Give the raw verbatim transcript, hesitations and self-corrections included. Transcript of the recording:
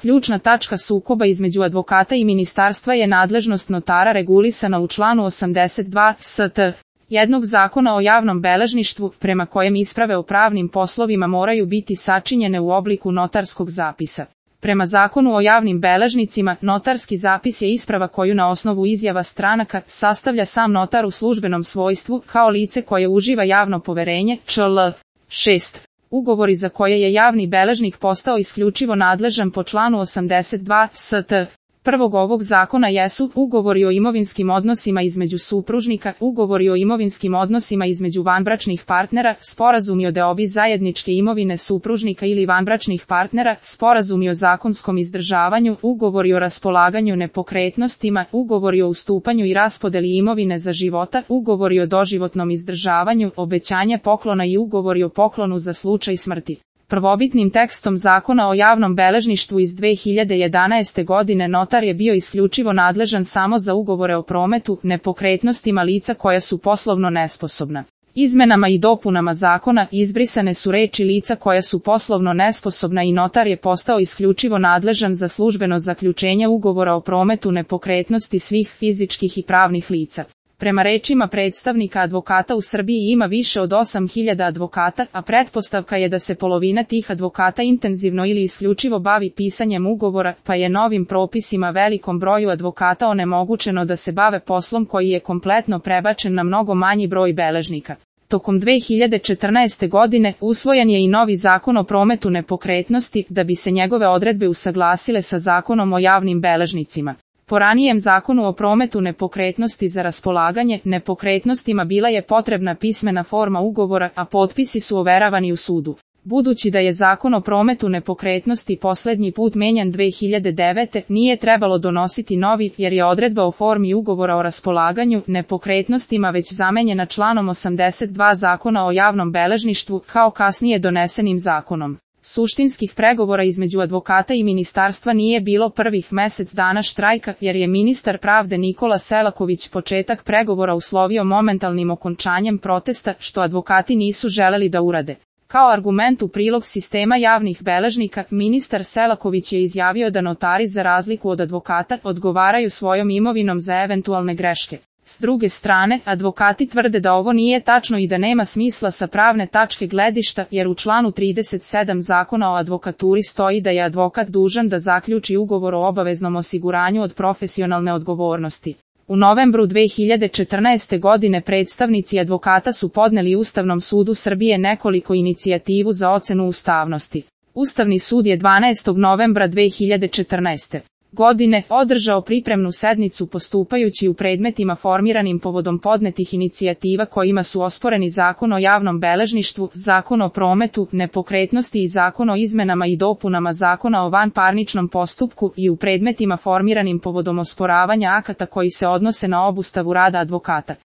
Ključna tačka sukoba između advokata i ministarstva je nadležnost notara regulisana u članu osamdeset dva st. jednog Zakona o javnom beležništvu, prema kojem isprave o pravnim poslovima moraju biti sačinjene u obliku notarskog zapisa. Prema Zakonu o javnim beležnicima, notarski zapis je isprava koju na osnovu izjava stranaka sastavlja sam notar u službenom svojstvu kao lice koje uživa javno poverenje, čl. šest. Ugovori za koje je javni beležnik postao isključivo nadležan po članu osamdeset dva st. prvog ovog zakona jesu ugovori o imovinskim odnosima između supružnika, ugovori o imovinskim odnosima između vanbračnih partnera, sporazumi o deobi zajedničke imovine supružnika ili vanbračnih partnera, sporazumi o zakonskom izdržavanju, ugovori o raspolaganju nepokretnostima, ugovori o ustupanju i raspodeli imovine za života, ugovori o doživotnom izdržavanju, obećanje poklona i ugovori o poklonu za slučaj smrti. Prvobitnim tekstom Zakona o javnom beležništvu iz dve hiljade jedanaeste. godine notar je bio isključivo nadležan samo za ugovore o prometu nepokretnostima lica koja su poslovno nesposobna. Izmenama i dopunama zakona izbrisane su reči lica koja su poslovno nesposobna i notar je postao isključivo nadležan za službeno zaključenje ugovora o prometu nepokretnosti svih fizičkih i pravnih lica. Prema rečima predstavnika advokata u Srbiji ima više od osam hiljada advokata, a pretpostavka je da se polovina tih advokata intenzivno ili isključivo bavi pisanjem ugovora, pa je novim propisima velikom broju advokata onemogućeno da se bave poslom koji je kompletno prebačen na mnogo manji broj beležnika. Tokom dve hiljade četrnaeste. godine usvojen je i novi Zakon o prometu nepokretnosti da bi se njegove odredbe usaglasile sa Zakonom o javnim beležnicima. Po ranijem Zakonu o prometu nepokretnosti za raspolaganje nepokretnostima bila je potrebna pismena forma ugovora, a potpisi su overavani u sudu. Budući da je Zakon o prometu nepokretnosti posljednji put menjan dve hiljade devete. nije trebalo donositi novi, jer je odredba o formi ugovora o raspolaganju nepokretnostima već zamenjena članom osamdeset dva Zakona o javnom beležništvu kao kasnije donesenim zakonom. Suštinskih pregovora između advokata i ministarstva nije bilo prvih mjesec dana štrajka, jer je ministar pravde Nikola Selaković početak pregovora uslovio momentalnim okončanjem protesta, što advokati nisu želeli da urade. Kao argument u prilog sistema javnih beležnika, ministar Selaković je izjavio da notari za razliku od advokata odgovaraju svojom imovinom za eventualne greške. S druge strane, advokati tvrde da ovo nije tačno i da nema smisla sa pravne tačke gledišta, jer u članu trideset sedam Zakona o advokaturi stoji da je advokat dužan da zaključi ugovor o obaveznom osiguranju od profesionalne odgovornosti. U novembru dve hiljade četrnaeste. godine predstavnici advokata su podneli Ustavnom sudu Srbije nekoliko inicijativu za ocenu ustavnosti. Ustavni sud je dvanaestog novembra dve hiljade četrnaeste. godine održao pripremnu sednicu postupajući u predmetima formiranim povodom podnetih inicijativa kojima su osporeni Zakon o javnom beležništvu, Zakon o prometu nepokretnosti i Zakon o izmenama i dopunama Zakona o vanparničnom postupku i u predmetima formiranim povodom osporavanja akata koji se odnose na obustavu rada advokata.